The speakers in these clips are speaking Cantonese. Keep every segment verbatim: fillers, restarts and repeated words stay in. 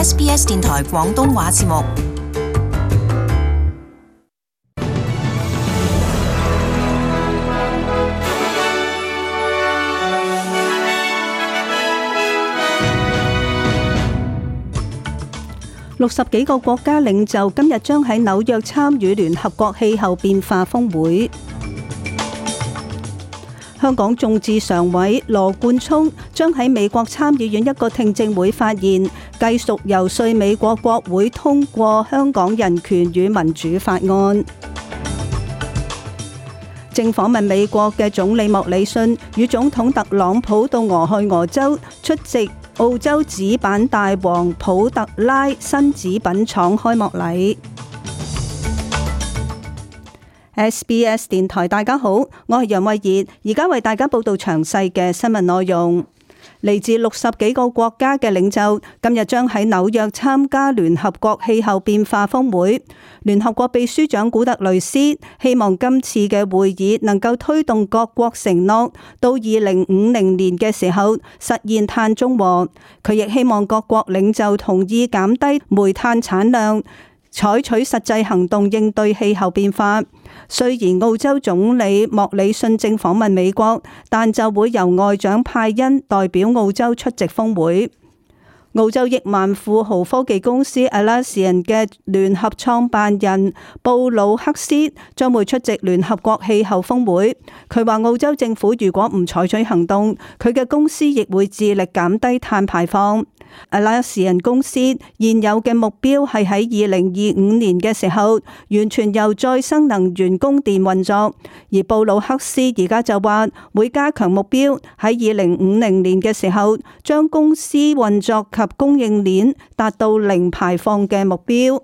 S B S 電台廣東話節目。六十幾個國家領袖今日將喺紐約參與聯合國氣候變化峰會。香港眾志常委羅冠聰將喺美國參議院一個聽證會發言，繼續游說美國國會通過香港人權與民主法案。正訪問美國嘅總理莫里遜與總統特朗普到俄亥俄州出席澳洲紙板大王普特拉新紙品廠開幕禮。S B S 電台，大家好，我係楊慧儀，而家為大家報道詳細嘅新聞內容。嚟自六十幾個國家嘅領袖今日將喺紐約參加聯合國氣候變化峰會。聯合國秘書長古特雷斯希望今次嘅會議能夠推動各國承諾到二零五零年嘅時候實現碳中和。佢亦希望各國領袖同意減低煤炭產量，採取實際行動應對氣候變化。雖然澳洲總理莫里遜正訪問美國，但就會由外長派恩代表澳洲出席峰會。澳洲億萬富豪科技公司 Atlassian 嘅聯合創辦人布魯克斯將會出席聯合國氣候峰會。佢話澳洲政府如果唔採取行動，佢嘅公司亦會致力減低碳排放。Atlassian 公司現有嘅目標係喺二零二五年嘅時候完全由再生能源供電運作，而布魯克斯而家就話會加強目標，喺二零五零年嘅時候將公司運作及供應鏈達到零排放嘅目標。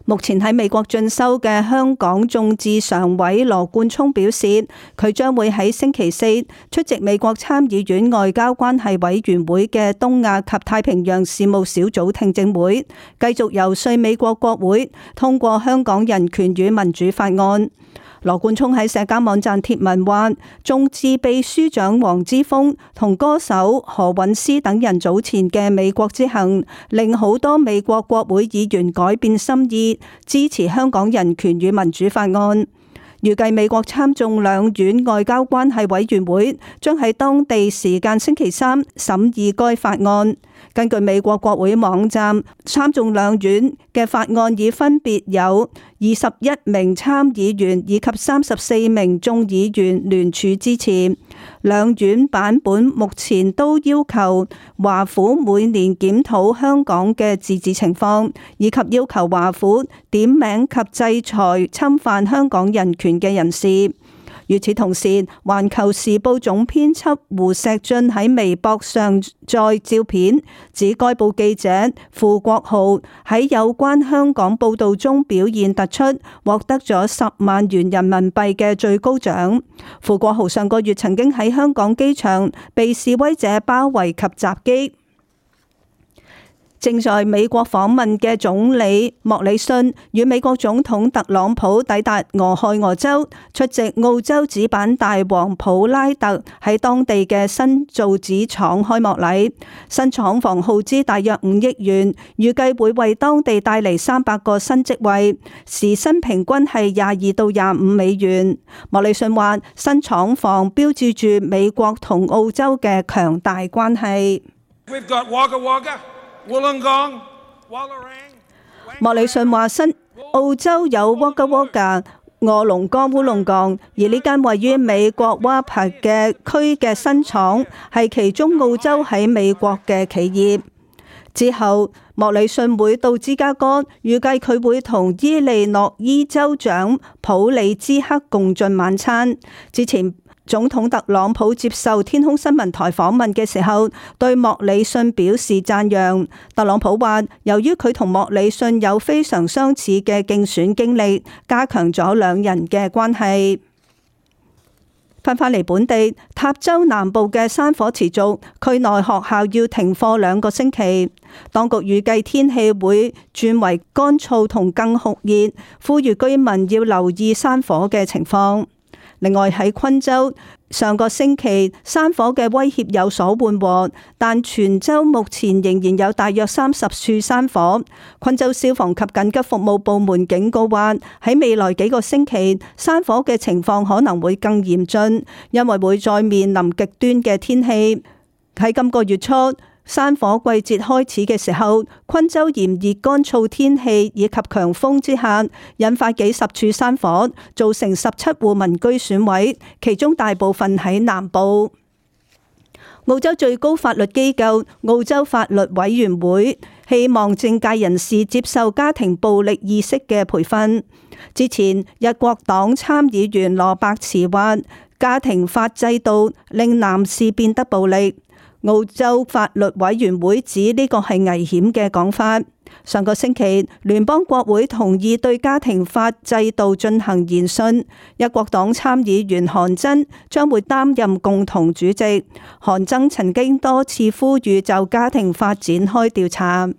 目前喺美國進修嘅香港眾志常委羅冠聰表示，佢將會喺星期四出席美國參議院外交關係委員會嘅東亞及太平洋事務小組聽證會，繼續游說美國國會通過香港人權與民主法案。羅冠聰喺社交網站貼文話，眾志秘書長黃之鋒同歌手何韻詩等人早前嘅美國之行，令好多美國國會議員改變心意，支持香港人權與民主法案。預計美國參眾兩院外交關係委員會將喺當地時間星期三審議該法案。根據美國國會網站，參眾兩院嘅法案已分別有二十一名參議員以及三十四名眾議員聯署支持。兩院版本目前都要求華府每年檢討香港嘅自治情況，以及要求華府點名及制裁侵犯香港人權嘅人士。與此同時，《環球時報》總編輯胡錫進喺微博上載照片，指該報記者傅國浩喺有關香港報導中表現突出，獲得咗十萬元人民幣嘅最高獎。傅國浩上個月曾經喺香港機場被示威者包圍及襲擊。正在美國訪問嘅總理莫里遜與美國總統特朗普抵達俄亥俄州，出席澳洲紙板大王普拉特喺當地嘅新造紙廠開幕禮。新廠房耗資大約五億元，預計會為當地帶嚟三百個新職位，時薪平均係廿二到廿五美元。莫里遜話，新廠房標誌住美國同澳洲嘅強大關係。We've got Wagga Wagga.莫里遜話：新澳洲有 Wagga Wagga、臥龍崗、烏龍崗，而呢間位於美國 Wapa 嘅區嘅新廠係其中澳洲喺美國嘅企業。之後，莫里遜會到芝加哥，預計佢會同伊利諾伊州長普里茲克共進晚餐。之前，總統特朗普接受天空新聞台訪問嘅時候，對莫里遜表示讚揚。特朗普話，由於佢同莫里遜有非常相似嘅競選經歷，加強咗兩人嘅關係。翻返嚟本地，塔州南部嘅山火持續，區內學校要停課兩個星期。當局預計天氣會轉為乾燥同更酷熱，呼籲居民要留意山火嘅情況。另外喺昆州，上個星期山火嘅威脅有所緩和，但全州目前仍然有大約三十處山火。昆州消防及緊急服務部門警告話，喺未來幾個星期，山火嘅情況可能會更嚴峻，因為會再面臨極端嘅天氣。喺今個月初，山火季節開始嘅時候，昆州炎熱乾燥天氣以及強風之下，引發幾十處山火，造成十七戶民居損毀，其中大部分喺南部。澳洲最高法律機構澳洲法律委員會希望政界人士接受家庭暴力意識嘅培訓。之前，日國黨參議員羅伯茨話，家庭法制度令男士變得暴力。澳洲法律委員會指呢個係危險嘅講法。上個星期，聯邦國會同意對家庭法制度進行研訊，一國黨參議員韓真將會擔任共同主席。韓真曾經多次呼籲就家庭法展開調查。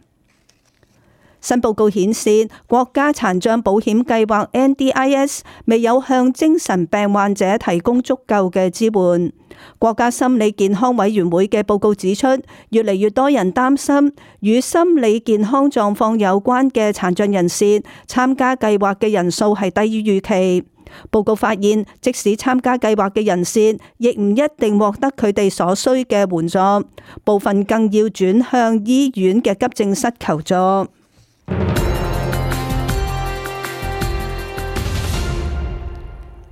新報告顯示，國家殘障保險計劃 N D I S 未有向精神病患者提供足夠嘅支援。國家心理健康委員會嘅報告指出，越嚟越多人擔心與心理健康狀況有關嘅殘障人士參加計劃嘅人數係低於預期。報告發現，即使參加計劃嘅人士，亦唔一定獲得佢哋所需嘅援助，部分更要轉向醫院嘅急症室求助。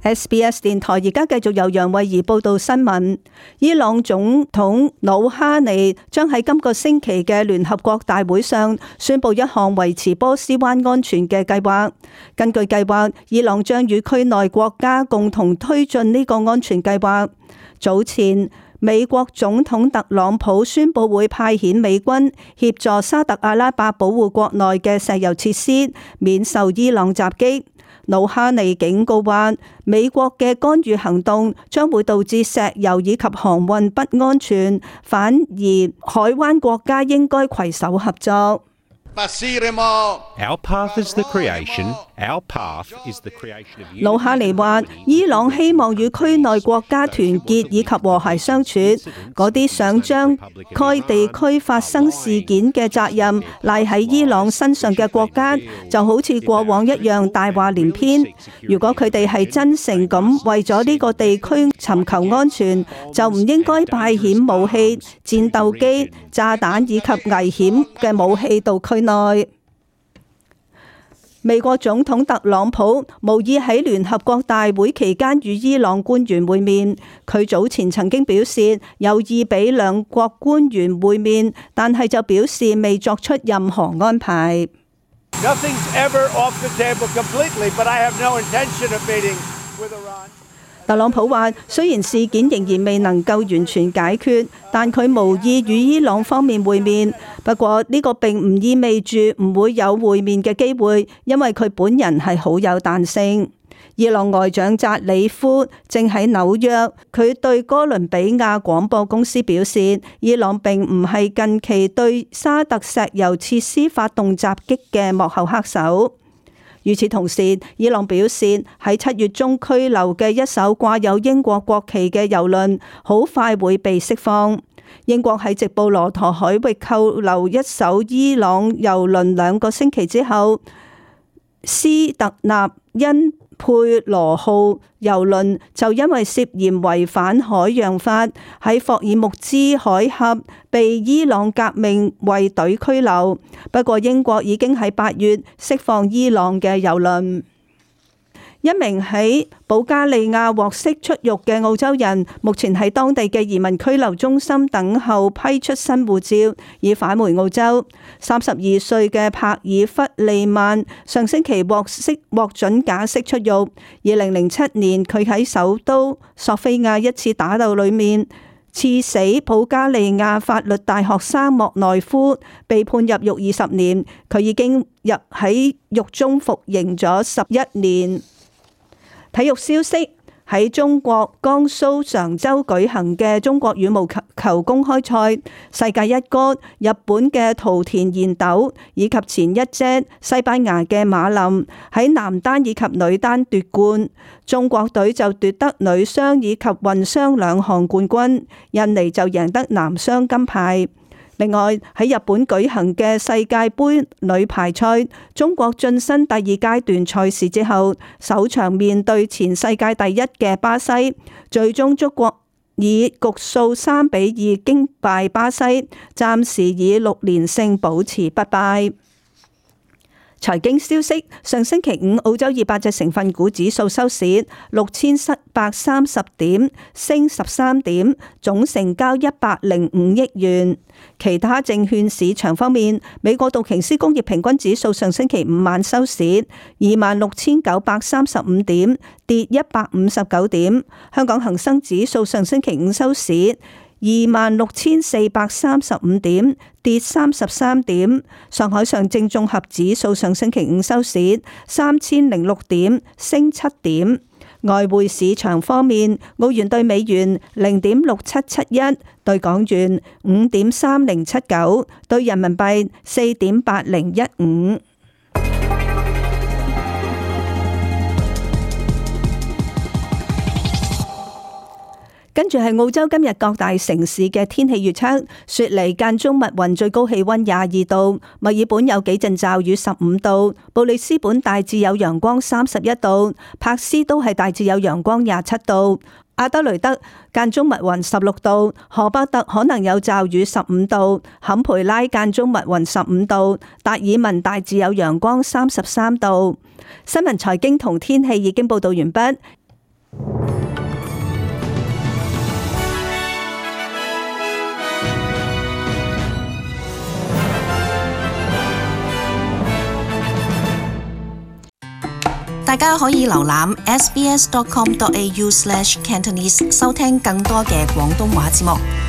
S B S 電台而家繼續由楊慧儀報道新聞。伊朗總統魯哈尼將喺今個星期嘅聯合國大會上宣布一項維持波斯灣安全嘅計劃。根據計劃，伊朗將與區內國家共同推進呢個安全計劃。早前，美國總統特朗普宣布會派遣美軍協助沙特阿拉伯保護國內嘅石油設施免受伊朗襲擊。魯哈尼警告話，美國嘅干預行動將會導致石油以及航運不安全，反而海灣國家應該攜手合作。Our path is the creation. Our path is the creation of you. 魯哈尼話，伊朗希望與區內國家團結以及和諧相處。嗰啲想將該地區發生事件嘅責任賴喺伊朗身上嘅國家，就好似過往一樣大話連篇。如果佢哋係真誠咁為咗呢個地區尋求安全，就唔應該派遣武器、戰鬥機、炸彈以及危險嘅武器到區內。美國總統特朗普無意喺聯合國大會期間與伊朗官員會面。佢早前曾經表示有意俾兩國官員會面，但係就表示未作出任何安排。Nothing's ever off the table completely, but I have no intention of meeting with Iran. 特朗普話，雖然事件仍然未能夠完全解決，但佢無意與伊朗方面會面。不過呢個並唔意味住唔會有會面嘅機會，因為佢本人係好有彈性。伊朗外長扎里夫正喺紐約，佢對哥倫比亞廣播公司表示，伊朗並唔係近期對沙特石油設施發動襲擊嘅幕後黑手。與此同時，伊朗表示喺七月中拘留嘅一艘掛有英國國旗嘅郵輪，好快會被釋放。英國喺直布羅陀海域扣留一艘伊朗郵輪兩個星期之後，斯特納因佩羅號郵輪就因為涉嫌違反海洋法，喺霍爾木茲海峽被伊朗革命衛隊拘留。不過英國已經喺八月釋放伊朗嘅郵輪。一名喺保加利亞獲釋出獄嘅澳洲人，目前喺當地嘅移民拘留中心等候批出新護照，以返回澳洲。三十二歲嘅帕爾弗利曼上星期獲釋獲准假釋出獄。二零零七年，佢喺首都索菲亞一次打鬥裏面刺死保加利亞法律大學生莫內夫，被判入獄二十年。佢已經入喺獄中服刑咗十一年。體育消息，喺中國江蘇常州舉行嘅中國羽毛球公開賽，世界一哥日本嘅桃田賢斗以及前一姐西班牙嘅馬林喺男單以及女單奪冠，中國隊就奪得女雙以及混雙兩項冠軍，印尼就贏得男雙金牌。另外喺日本舉行嘅世界盃女排賽，中國晉身第二階段賽事之後，首場面對前世界第一嘅巴西，最終中國以局數三比二擊敗巴西，暫時以六連勝保持不敗。財經消息：上星期五澳洲二百隻成分股指數收市六千七百三十點，升十三點，總成交一百零五億元。其他證券市場方面，美國道瓊斯工業平均指數上星期五晚收市二萬六千九百三十五點，跌一百五十九點。香港恒生指數上星期五收市二萬六千四百三十五點，跌三十三點。上海上證綜合指數上星期五收市三千零六點，升七點。外匯市場方面，澳元兌美元零點六七七一，兌港元五點三零七九，兌人民幣四點八零一五。跟住係澳洲今日各大城市嘅天氣預測：雪梨間中密雲，最高氣溫廿二度；墨爾本有幾陣驟雨，十五度；布里斯本大致有陽光，三十一度；柏斯都係大致有陽光，廿七度；阿德雷德間中密雲，十六度；荷伯特可能有驟雨，十五度；坎培拉間中密雲，十五度；達爾文大致有陽光，三十三度。新聞財經同天氣已經報道完畢。大家可以瀏覽 s b s dot com dot a u slash cantonese 收聽更多嘅廣東話節目。